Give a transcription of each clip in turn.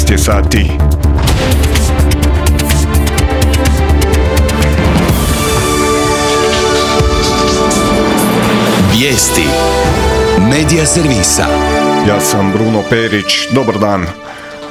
13 je sati. Vijesti Medija servisa. Ja sam Bruno Perić, dobar dan.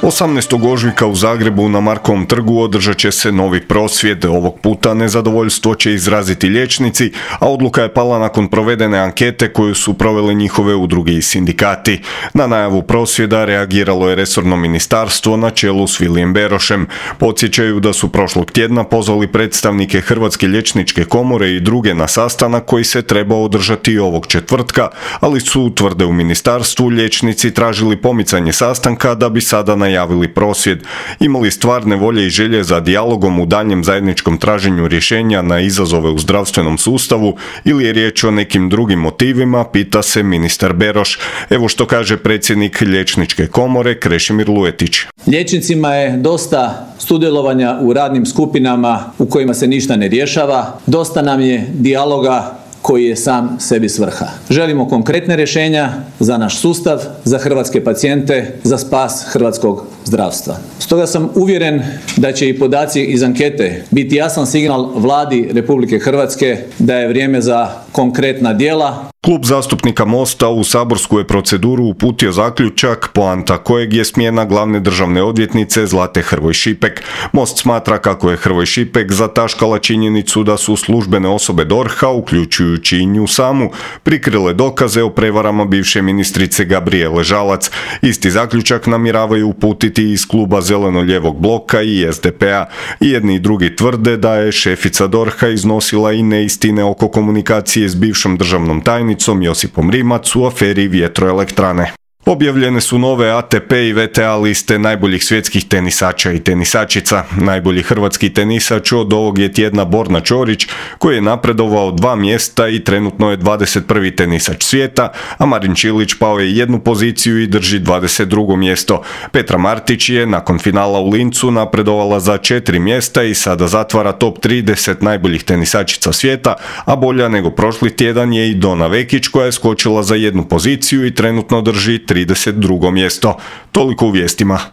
18. ožujka u Zagrebu na Markovom trgu održat će se novi prosvjed. Ovog puta nezadovoljstvo će izraziti liječnici, a odluka je pala nakon provedene ankete koju su provele njihove udruge i sindikati. Na najavu prosvjeda reagiralo je resorno ministarstvo na čelu s Vilijem Berošem. Podsjećaju da su prošlog tjedna pozvali predstavnike Hrvatske liječničke komore i druge na sastanak koji se trebao održati ovog četvrtka, ali su, tvrde u ministarstvu, liječnici tražili pomicanje sastanka da bi sada najavili prosvjed. Imali stvarne volje i želje za dijalogom u daljnjem zajedničkom traženju rješenja na izazove u zdravstvenom sustavu ili je riječ o nekim drugim motivima, pita se ministar Beroš. Evo što kaže predsjednik Liječničke komore Krešimir Luetić. Liječnicima je dosta sudjelovanja u radnim skupinama u kojima se ništa ne rješava, dosta nam je dijaloga koji je sam sebi svrha. Želimo konkretne rješenja za naš sustav, za hrvatske pacijente, za spas hrvatskog zdravstva. Stoga sam uvjeren da će i podaci iz ankete biti jasan signal Vladi Republike Hrvatske da je vrijeme za konkretna djela. Klub zastupnika Mosta u saborsku je proceduru uputio zaključak poanta kojeg je smjena glavne državne odvjetnice Zlate Hrvoj Šipek. Most smatra kako je Hrvoj Šipek zataškala činjenicu da su službene osobe DORH-a, uključujući i nju samu, prikrile dokaze o prevarama bivše ministrice Gabrijele Žalac. Isti zaključak namjeravaju uputiti iz kluba Zeleno-lijevog bloka i SDP-a. I jedni i drugi tvrde da je šefica DORH-a iznosila i neistine oko komunikacije s bivšom državnom tajnicom Josipom Rimac u aferi vjetroelektrane. Objavljene su nove ATP i VTA liste najboljih svjetskih tenisača i tenisačica. Najbolji hrvatski tenisač od ovog je tjedna Borna Ćorić, koji je napredovao 2 mjesta i trenutno je 21. tenisač svijeta, a Marin Čilić pao je 1 poziciju i drži 22. mjesto. Petra Martić je nakon finala u Lincu napredovala za 4 mjesta i sada zatvara top 30 najboljih tenisačica svijeta, a bolja nego prošli tjedan je i Dona Vekić koja je skočila za 1 poziciju i trenutno drži 32. mjesto. Toliko u vijestima.